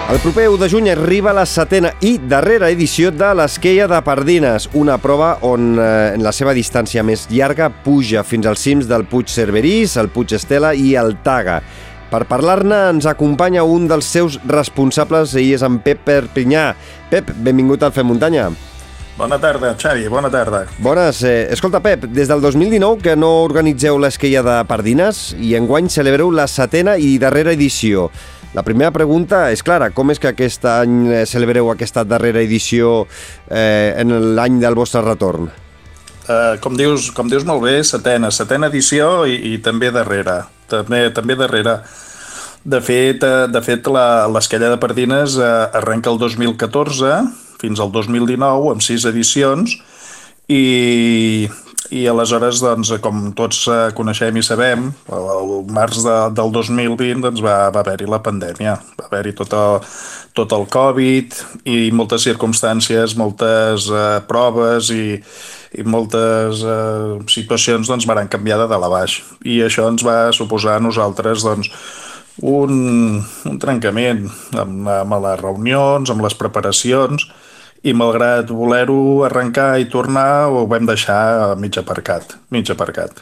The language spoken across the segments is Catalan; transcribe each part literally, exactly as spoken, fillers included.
El proper u de juny arriba la setena i darrera edició de l'Esquella de Pardines, una prova on eh, en la seva distància més llarga puja fins als cims del Puig Cerverís, el Puig Estela i el Taga. Per parlar-ne ens acompanya un dels seus responsables i és en Pep Perpinyà. Pep, benvingut al Fem Muntanya. Bona tarda, Xavi, bona tarda. Bones. Eh, escolta, Pep, des del dos mil dinou que no organitzeu l'Esquella de Pardines i enguany celebreu la setena i darrera edició. La primera pregunta és clara, com és que aquest any celebreu aquesta darrera edició eh, en l'any del vostre retorn? Uh, com, dius, com dius molt bé, setena, setena edició i, i també darrera, també, també darrera. De fet, de fet l'Esquella de Pardines uh, arrenca el dos mil catorze fins al dos mil dinou amb sis edicions i... I aleshores, doncs, com tots coneixem i sabem, el març de, del dos mil vint doncs, va, va haver-hi la pandèmia, va haver-hi tot, el, tot el Covid i moltes circumstàncies, moltes uh, proves i, i moltes uh, situacions doncs, van canviar de dalt a baix. I això ens va suposar a nosaltres doncs, un, un trencament amb, amb les reunions, amb les preparacions, i malgrat voler-ho arrencar i tornar, ho vam deixar mig aparcat, mig aparcat.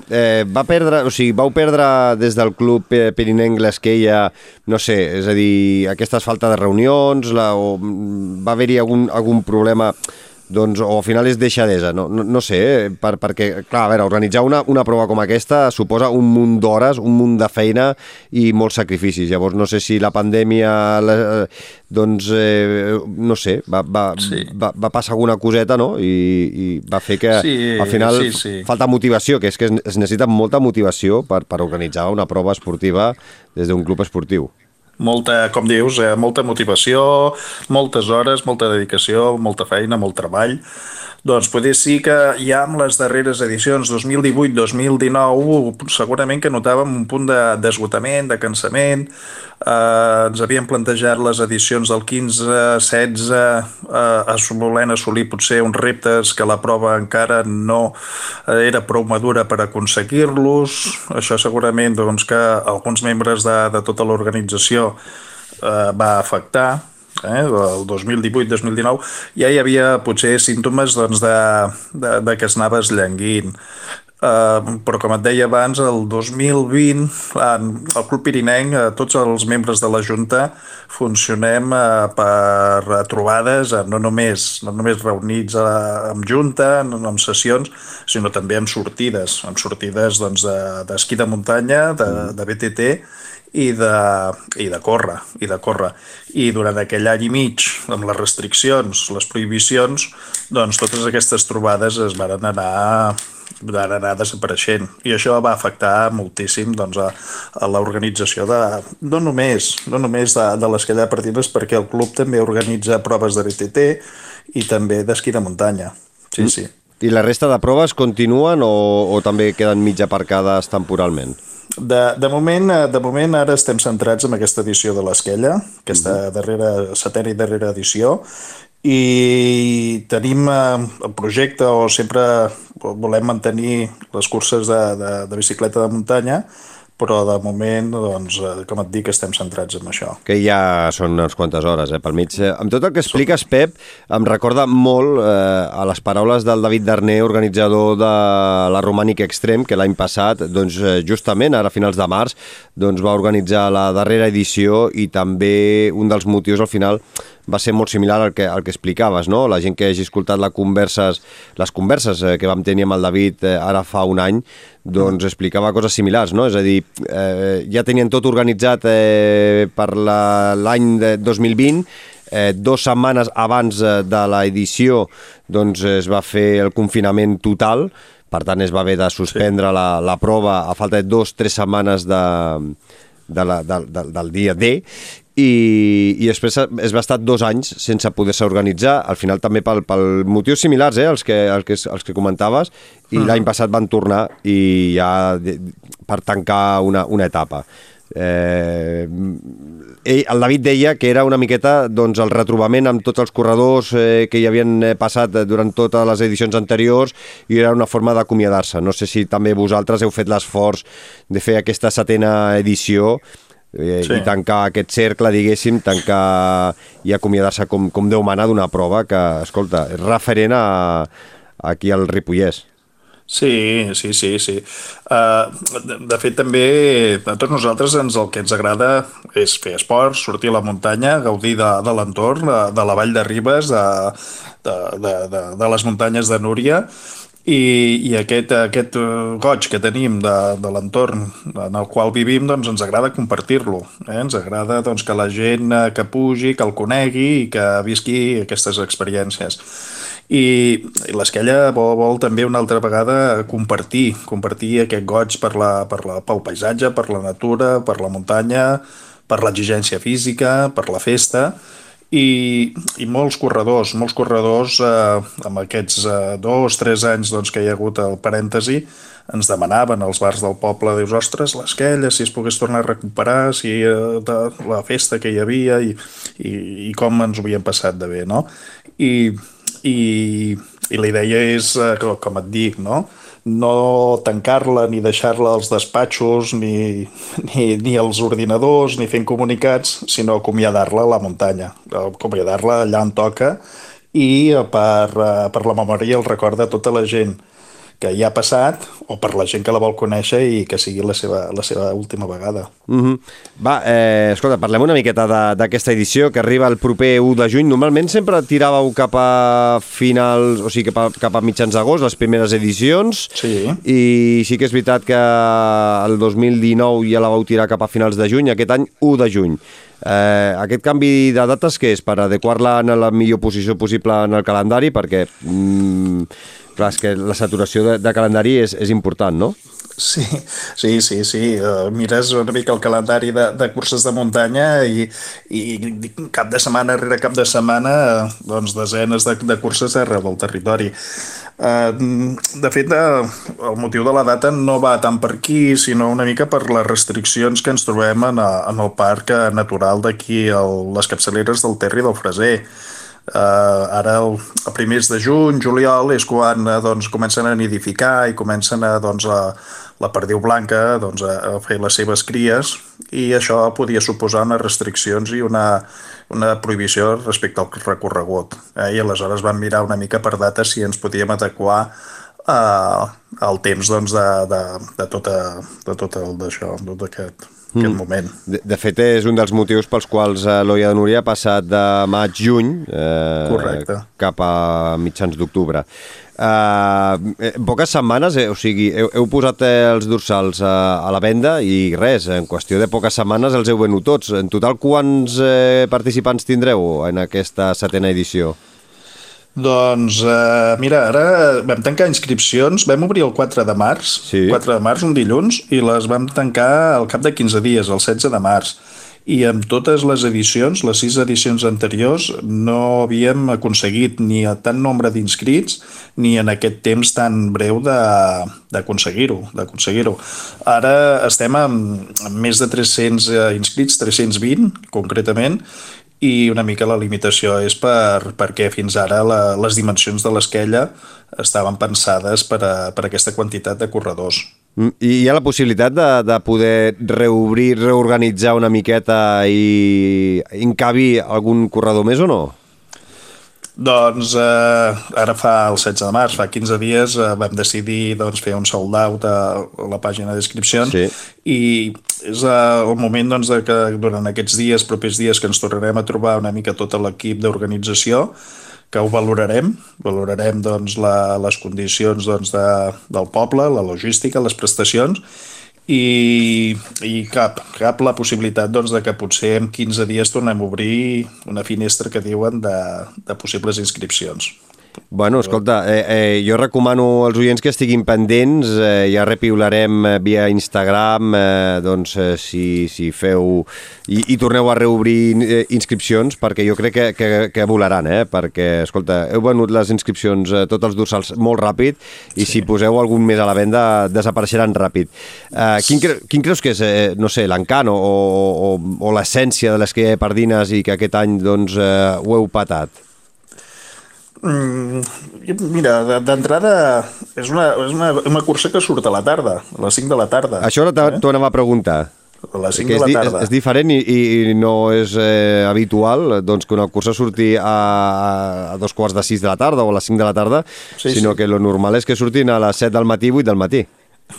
Eh, va perdre, o sigui, vau perdre des del club pirinenc l'Esquella, no sé, és a dir, aquestes falta de reunions, la, o va haver-hi algun, algun problema, doncs, o al final és deixadesa, no, no, no sé, eh, per, perquè, clar, a veure, organitzar una, una prova com aquesta suposa un munt d'hores, un munt de feina i molts sacrificis. Llavors, no sé si la pandèmia, la, doncs, eh, no sé, va, va, sí. va, va passar alguna coseta, no?, i, i va fer que, sí, al final, sí, sí. falta motivació, que és que es necessita molta motivació per, per organitzar una prova esportiva des d'un club esportiu. Molta, com dius, eh, molta motivació, moltes hores, molta dedicació, molta feina, molt treball. Doncs poder sí que ja amb les darreres edicions, dos mil divuit dos mil dinou, segurament que notàvem un punt d'esgotament, de, de cansament. Eh, ens havíem plantejat les edicions del quinze, setze, eh, volent assolir potser uns reptes que la prova encara no era prou madura per aconseguir-los. Això segurament doncs, que alguns membres de, de tota l'organització eh, va afectar. Eh, el dos mil divuit dos mil dinou ja hi havia potser símptomes doncs, de, de, de que es anava esllenguint. Uh, però com et deia abans, el dos mil vint al Club Pirinenc, uh, tots els membres de la Junta funcionem uh, per trobades, uh, no, només, no només reunits uh, amb Junta, no, amb sessions, sinó també amb sortides, amb sortides doncs, d'esquí de, de muntanya, de, de B T T i de, i de córrer, i de córrer. I durant aquell any i mig, amb les restriccions, les prohibicions, doncs totes aquestes trobades es van anar, van anar desapareixent. I això va afectar moltíssim doncs, a, a l'organització de, no només, no només de, de l'Esquella de Pardines, perquè el club també organitza proves de B T T i també d'esquí de muntanya. Sí, mm. sí. I la resta de proves continuen o, o també queden mig aparcades temporalment? De, de, moment, de moment ara estem centrats en aquesta edició de l'Esquella, aquesta darrera, setena i darrera edició, i tenim el projecte o sempre volem mantenir les curses de, de, de bicicleta de muntanya, però de moment, doncs, com et dic, estem centrats en això. Que ja són unes quantes hores, eh, pel mig. Amb tot el que expliques, Pep, em recorda molt eh, a les paraules del David Darner, organitzador de la Romànica Extreme, que l'any passat, doncs, justament, ara a finals de març, doncs, va organitzar la darrera edició i també un dels motius, al final, va ser molt similar al que, al que explicaves, no? La gent que hagi escoltat les converses, les converses eh, que vam tenir amb el David eh, ara fa un any, doncs explicava coses similars, no? És a dir, eh, ja tenien tot organitzat eh, per l'any dos mil vint, eh, dues setmanes abans de l'edició doncs es va fer el confinament total, per tant es va haver de suspendre sí. la, la prova a falta de dues o tres setmanes de, de la, de, de, del dia D, i, i després es va estar dos anys sense poder-se organitzar, al final també pel, pel motius similars, eh, els que, els que, els que comentaves, i uh-huh. l'any passat van tornar i ja per tancar una, una etapa. Eh, ell, el David deia que era una miqueta doncs, el retrobament amb tots els corredors eh, que hi havien passat durant totes les edicions anteriors i era una forma d'acomiadar-se. No sé si també vosaltres heu fet l'esforç de fer aquesta setena edició i, Sí. i tancar aquest cercle, diguéssim, tancar i acomiadar-se com, com Déu mana d'una prova que, escolta, és referent a, aquí al Ripollès. Sí, sí, sí, sí. Uh, de, de fet, també a tots nosaltres ens, el que ens agrada és fer esport, sortir a la muntanya, gaudir de, de l'entorn, de, de la vall de Ribes, de, de, de, de, de les muntanyes de Núria, i, i aquest, aquest eh, goig que tenim de, de l'entorn en el qual vivim, doncs ens agrada compartir-lo. Eh? Ens agrada doncs, que la gent eh, que pugi, que el conegui i que visqui aquestes experiències. I, i l'Esquella vol, vol també una altra vegada compartir, compartir aquest goig per la, per la, pel paisatge, per la natura, per la muntanya, per l'exigència física, per la festa, i, i molts corredors, molts corredors eh, amb aquests eh, dos, tres anys doncs, que hi ha hagut el parèntesi, ens demanaven als bars del poble, dius, ostres, l'Esquella, si es pogués tornar a recuperar, si eh, de, la festa que hi havia i, i, i com ens ho havíem passat de bé, no? I i, i la idea és, eh, com et dic, no? No tancar-la ni deixar-la als despatxos ni, ni, ni als ordinadors ni fent comunicats, sinó acomiadar-la a la muntanya, acomiadar-la allà on toca i per, eh, per la memòria i el record de tota la gent que hi ha passat o per la gent que la vol conèixer i que sigui la seva, la seva última vegada. Mm-hmm. Va, eh, escolta, parlem una miqueta d'aquesta edició que arriba el proper u de juny. Normalment sempre tiràveu cap a finals, o sigui, cap a, cap a mitjans d'agost, les primeres edicions, Sí. i sí que és veritat que el dos mil dinou ja la vau tirar cap a finals de juny, aquest any u de juny. Eh, aquest canvi de dates què és? Per adequar-la en la millor posició possible en el calendari, perquè mm, clar, és que la saturació de, de calendari és, és important, no? Sí, sí, sí, sí. Uh, mires una mica el calendari de, de curses de muntanya i, i cap de setmana rere cap de setmana uh, doncs desenes de, de curses arreu del territori. Uh, de fet, uh, el motiu de la data no va tant per aquí, sinó una mica per les restriccions que ens trobem en, a, en el parc natural d'aquí, les capçaleres del Ter i del Freser. Uh, ara el, a primers de juny, juliol, és quan uh, doncs, comencen a nidificar i comencen a, doncs, a, la perdiu blanca doncs, a, a fer les seves cries, i això podia suposar unes restriccions i una, una prohibició respecte al recorregut. Eh? I aleshores vam mirar una mica per data si ens podíem adequar uh, al temps doncs, de, de, de, tota, de tot el d'això, de tot aquest... aquest moment. De, de fet, és un dels motius pels quals eh, l'Olla de Núria ha passat de maig-juny eh, cap a mitjans d'octubre. Eh, en poques setmanes, eh, o sigui, heu, heu posat eh, els dorsals a, a la venda i res, en qüestió de poques setmanes els heu venut tots. En total, quants eh, participants tindreu en aquesta setena edició? Doncs, eh, mira, ara vam tancar inscripcions, vam obrir el quatre de març, sí. quatre de març, un dilluns, i les vam tancar al cap de quinze dies, el setze de març. I amb totes les edicions, les sis edicions anteriors, no havíem aconseguit ni a tant nombre d'inscrits ni en aquest temps tan breu d'aconseguir-ho. d'aconseguir-ho. Ara estem amb, amb més de tres-cents inscrits, tres-cents vint concretament, i una mica la limitació és per, perquè fins ara la, les dimensions de l'Esquella estaven pensades per a, per a aquesta quantitat de corredors. I hi ha la possibilitat de, de poder reobrir, reorganitzar una miqueta i encabi algun corredor més o no? Doncs eh, ara fa el setze de març, fa quinze dies, eh, vam decidir doncs, fer un sold out a la pàgina d'inscripcions, sí. I és eh, el moment doncs, de que durant aquests dies, propers dies, que ens tornarem a trobar una mica tot l'equip d'organització, que ho valorarem, valorarem doncs, la, les condicions doncs, de, del poble, la logística, les prestacions, i, i cap, cap la possibilitat doncs, de que potser en quinze dies tornem a obrir una finestra que diuen de, de possibles inscripcions. Bueno, escolta, eh, eh, jo recomano als oients que estiguin pendents, eh, ja repiularem via Instagram, eh, doncs eh, si, si feu i, i torneu a reobrir eh, inscripcions, perquè jo crec que, que, que volaran, eh? Perquè, escolta, heu venut les inscripcions, eh, tots els dorsals, molt ràpid, i sí. Si poseu algun més a la venda, desapareixeran ràpid. Eh, quin, cre quin creus que és, eh, no sé, l'encant o, o, o l'essència de les que hi ha pardines i que aquest any doncs, eh, ho heu patat? Mm, mira, d'entrada és, una, és una, una cursa que surt a la tarda, a les cinc de la tarda. Això ara t'ho eh? anava a preguntar. a les cinc que de la és, tarda. és, és diferent i, i no és eh, habitual doncs, que una cursa surti a, a dos quarts de sis de la tarda o a les cinc de la tarda, Sí, sinó sí. que lo normal és que surtin a les set del matí, vuit del matí.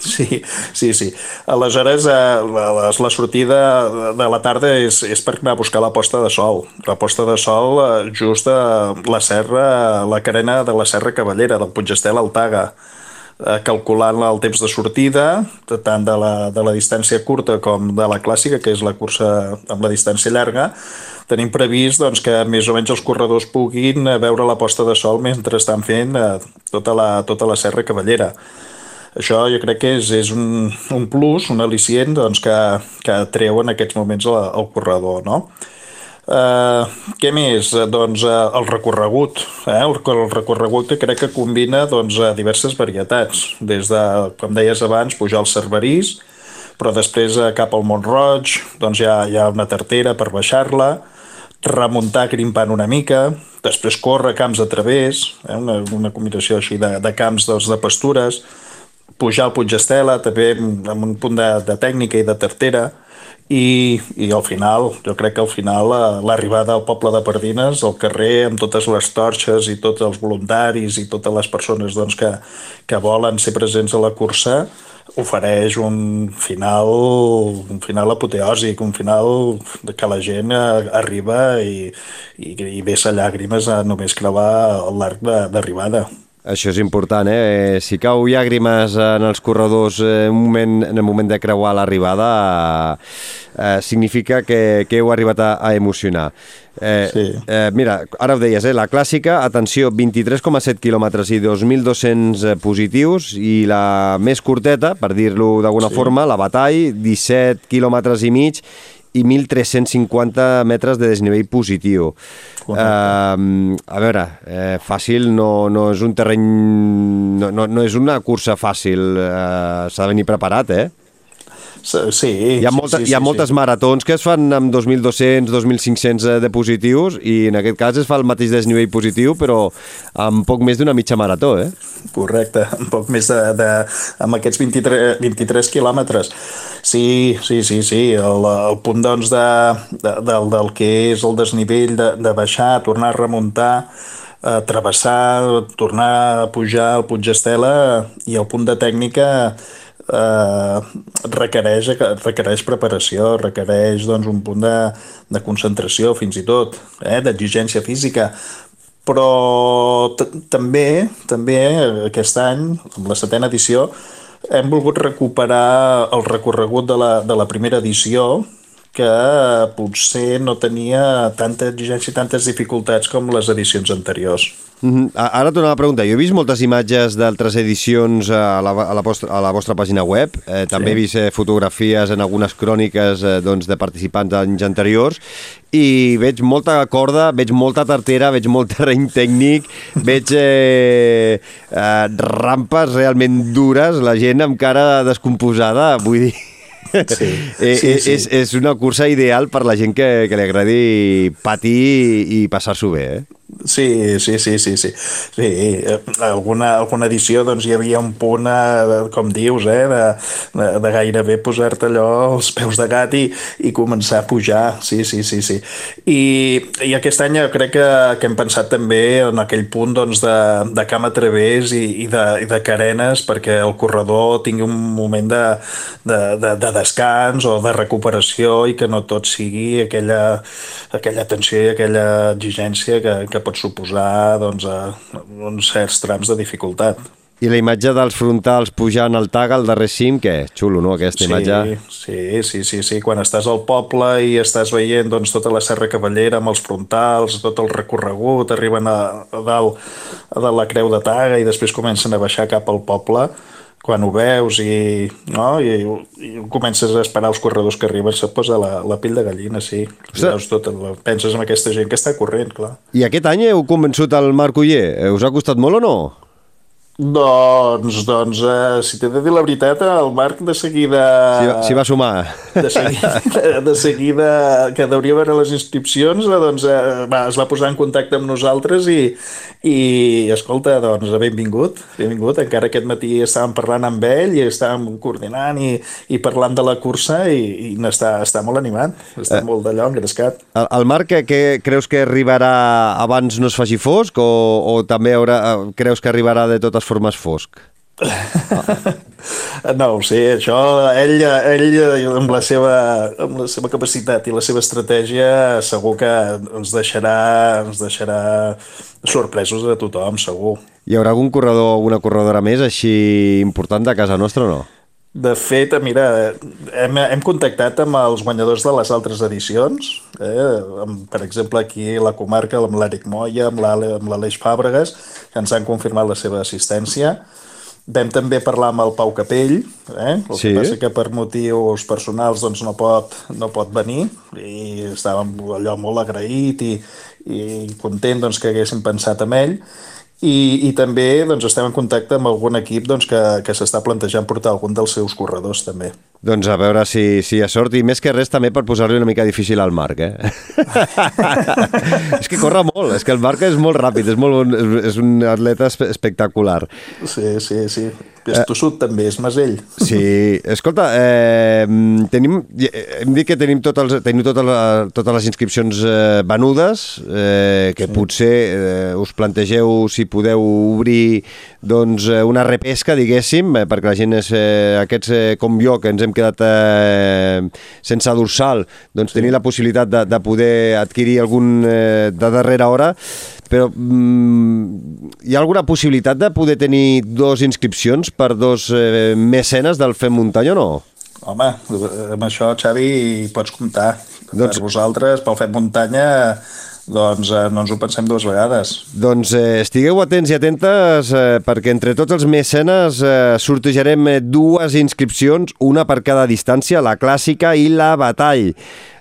Sí, sí, sí. Aleshores, eh, la, la la sortida de la tarda és, és per anar a buscar la posta de sol. La posta de sol eh, just a la serra, la carena de la Serra Cavallera, del Puigestela al Taga, eh, calculant el temps de sortida, tant de la, de la distància curta com de la clàssica, que és la cursa amb la distància llarga. Tenim previst doncs, que més o menys els corredors puguin eh, veure la posta de sol mentre estan fent eh, tota, la, tota la Serra Cavallera. Això jo crec que és, és un, un plus, un al·licient doncs, que, que treu en aquests moments el, el corredor, no? Uh, què més? Uh, doncs uh, el recorregut, eh? el, el recorregut que crec que combina doncs, uh, diverses varietats, des de, com deies abans, pujar al Cerverís, però després uh, cap al Mont-roig doncs hi ha, hi ha una tartera per baixar-la, remuntar grimpant una mica, després córrer camps a través, eh? una, una combinació així de, de camps doncs, de pastures, pujar al Puigestela també amb un punt de, de tècnica i de tartera, i, i al final, jo crec que al final l'arribada al poble de Pardines, al carrer amb totes les torxes i tots els voluntaris i totes les persones doncs, que, que volen ser presents a la cursa, ofereix un final un final apoteòsic, un final que la gent arriba i, i, i vessa llàgrimes a només creuar l'arc d'arribada. Això és important, eh? Si cau llàgrimes en els corredors en, un moment, en el moment de creuar l'arribada, eh, significa que, que heu arribat a, a emocionar. Eh, sí. eh, mira, ara ho deies, eh? La clàssica, atenció, vint-i-tres coma set quilòmetres i dos mil dos-cents positius, i la més curteta, per dir-lo d'alguna sí. forma, la Batall, disset quilòmetres i mig, i mil tres-cents cinquanta metres de desnivell positiu. Uh, a veure, eh, fàcil no, no és un terreny... No, no, no és una cursa fàcil, uh, s'ha de venir preparat, eh? Sí, hi ha, molta, sí, sí, hi ha sí, moltes sí. maratons que es fan amb dos mil dos-cents, dos mil cinc-cents de positius, i en aquest cas es fa el mateix desnivell positiu, però amb poc més d'una mitja marató, eh? Correcte, un poc més de, de amb aquests vint-i-tres, vint-i-tres quilòmetres. Sí, sí, sí, sí. El, el punt doncs, de, de, del, del que és el desnivell, de, de baixar, tornar a remuntar, a travessar, tornar a pujar al Puigestela, i el punt de tècnica eh, requereix, requereix preparació, requereix doncs, un punt de, de concentració fins i tot, eh, d'exigència física, però també també aquest any, amb la setena edició, hem volgut recuperar el recorregut de la, de la primera edició, que potser no tenia tanta exigència i tantes dificultats com les edicions anteriors. Mm-hmm. Ara tornava a preguntar, jo he vist moltes imatges d'altres edicions a la, a la, vostra, a la vostra pàgina web, eh, també sí. he vist eh, fotografies en algunes cròniques eh, doncs, de participants d'anys anteriors, i veig molta corda, veig molta tartera, veig molt terreny tècnic, veig eh, eh, rampes realment dures, la gent amb cara descomposada, vull dir... Sí, sí, sí. És, és una cursa ideal per la gent que, que li agradi patir i passar-s'ho bé, eh? Sí, sí, sí, sí, sí. sí. Alguna, alguna edició doncs, hi havia un punt, eh, com dius, eh, de, de, de gairebé posar-te allò als peus de gat i, i començar a pujar. Sí, sí, sí, sí. I, i aquest any jo crec que, que hem pensat també en aquell punt doncs, de, de camp a través i, i, de, i de carenes, perquè el corredor tingui un moment de, de, de, de descans o de recuperació, i que no tot sigui aquella, aquella tensió i aquella exigència que, que pot suposar doncs, a uns certs trams de dificultat. I la imatge dels frontals pujant al Taga, al darrer cim, què? Xulo, no, aquesta sí, imatge? Sí, sí, sí, sí. Quan estàs al poble i estàs veient doncs, tota la Serra Cavallera amb els frontals, tot el recorregut, arriben a, a dalt a dalt la Creu de Taga i després comencen a baixar cap al poble, quan ho veus i, no, i, i comences a esperar els corredors que arriben, se't posa la, la pell de gallina, sí. Veus tot, penses en aquesta gent que està corrent, clar. I aquest any heu convençut el Marc Oller? Us ha costat molt o no? Doncs, doncs eh, si t'he de dir la veritat, el Marc de seguida... S'hi va, s'hi va sumar. De seguida, de seguida que deuria veure les inscripcions, eh, doncs eh, va, es va posar en contacte amb nosaltres i, i escolta, doncs benvingut, benvingut. Encara aquest matí estàvem parlant amb ell i estàvem coordinant i, i parlant de la cursa i, i està, està molt animat, està eh, molt d'allò engrescat. El, el Marc, que, que creus que arribarà abans no es faci fosc o, o també haurà, creus que arribarà de totes formes fosc? No ho sé, això ell, ell amb, la seva, amb la seva capacitat i la seva estratègia segur que ens deixarà, ens deixarà sorpresos a tothom, segur. Hi haurà algun corredor o alguna corredora més així important de casa nostra o no? De fet, mira, hem, hem contactat amb els guanyadors de les altres edicions, eh? Amb, per exemple, aquí a la comarca, amb l'Eric Moya, amb l'Aleix Fàbregas, que ens han confirmat la seva assistència. Vam també parlar amb el Pau Capell, eh? El sí. que passa que per motius personals doncs, no, pot, no pot venir i estàvem allò molt agraït i, i content doncs, que haguéssim pensat en ell. I, i també doncs, estem en contacte amb algun equip doncs, que, que s'està plantejant portar algun dels seus corredors també. Doncs a veure si, si hi ha sort i més que res també per posar-li una mica difícil al Marc, eh? És que corre molt, és que el Marc és molt ràpid, és, molt, és un atleta espectacular. Sí, sí, sí. És tossut eh, també, és masell. Sí, escolta, eh, tenim, hem dit que tenim, tot els, tenim totes, les, totes les inscripcions eh, venudes, eh, que sí. potser eh, us plantegeu si podeu obrir doncs, una repesca, diguéssim, eh, perquè la gent és, eh, aquests eh, com jo, que ens hem quedat eh, sense dorsal, doncs sí. tenir la possibilitat de, de poder adquirir algun eh, de darrera hora, però mm, hi ha alguna possibilitat de poder tenir dos inscripcions per dos eh, mecenes del Fem Muntanya o no? Home, amb això, Xavi, hi pots comptar. Doncs... Per vosaltres, pel Fem Muntanya, doncs eh, no ens ho pensem dues vegades. Doncs eh, estigueu atents i atentes eh, perquè entre tots els mecenes eh, sortejarem eh, dues inscripcions, una per cada distància, la clàssica i la batall.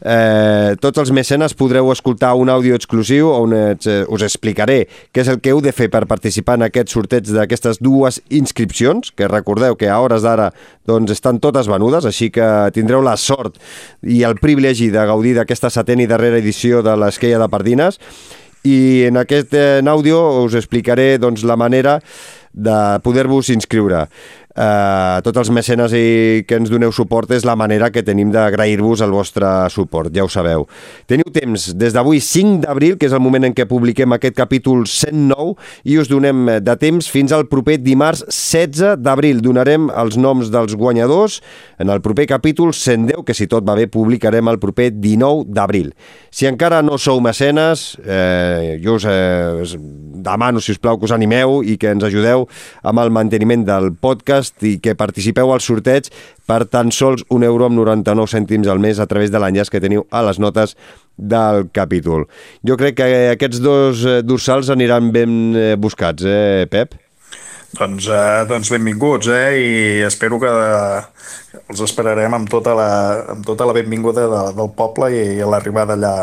Eh, tots els mecenes podreu escoltar un àudio exclusiu on eh, us explicaré què és el que heu de fer per participar en aquest sorteig d'aquestes dues inscripcions, que recordeu que a hores d'ara doncs, estan totes venudes, així que tindreu la sort i el privilegi de gaudir d'aquesta setena i darrera edició de l'Esquella de Pardines. I en aquest eh, àudio us explicaré doncs, la manera de poder-vos inscriure. Uh, tots els mecenes i que ens doneu suport és la manera que tenim d'agrair-vos el vostre suport, ja ho sabeu. Teniu temps des d'avui cinc d'abril, que és el moment en què publiquem aquest capítol cent nou, i us donem de temps fins al proper dimarts setze d'abril. Donarem els noms dels guanyadors en el proper capítol cent deu, que si tot va bé publicarem el proper dinou d'abril. Si encara no sou mecenes, eh, jo us eh, demano, si us plau, que us animeu i que ens ajudeu amb el manteniment del podcast i que participeu al sorteig per tan sols un euro amb noranta-nou cèntims al mes a través de l'enllaç que teniu a les notes del capítol. Jo crec que aquests dos dorsals aniran ben buscats, eh, Pep? Doncs, eh, doncs benvinguts, eh? I espero que els esperarem amb tota la, amb tota la benvinguda de, del poble i, i l'arribada allà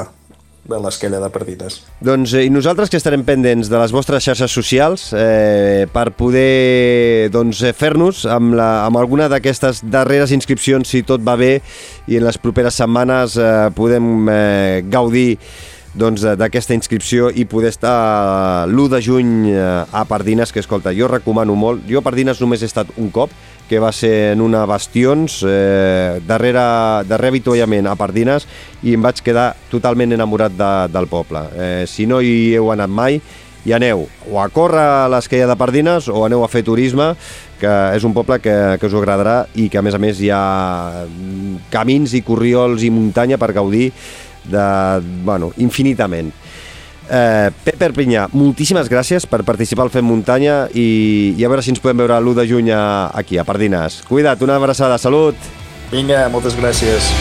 de l'Esquella de Pardines. Doncs eh, i nosaltres que estarem pendents de les vostres xarxes socials eh, per poder doncs, fer-nos amb, la, amb alguna d'aquestes darreres inscripcions, si tot va bé, i en les properes setmanes eh, podem eh, gaudir doncs, d'aquesta inscripció i poder estar l'u de juny a Pardines, que escolta, jo recomano molt. Jo a Pardines només he estat un cop, que va ser en una Bastions, eh, darrere, darrere avituallament a Pardines, i em vaig quedar totalment enamorat de, del poble. Eh, si no hi heu anat mai, hi aneu o a córrer a l'Esquella de Pardines o aneu a fer turisme, que és un poble que, que us agradarà i que a més a més hi ha camins i corriols i muntanya per gaudir de, bueno, infinitament. Eh, Pep Perpinyà, moltíssimes gràcies per participar al Fem Muntanya i, i a veure si ens podem veure l'u de juny aquí, a Pardines. Cuida't, una abraçada, salut! Vinga, moltes gràcies.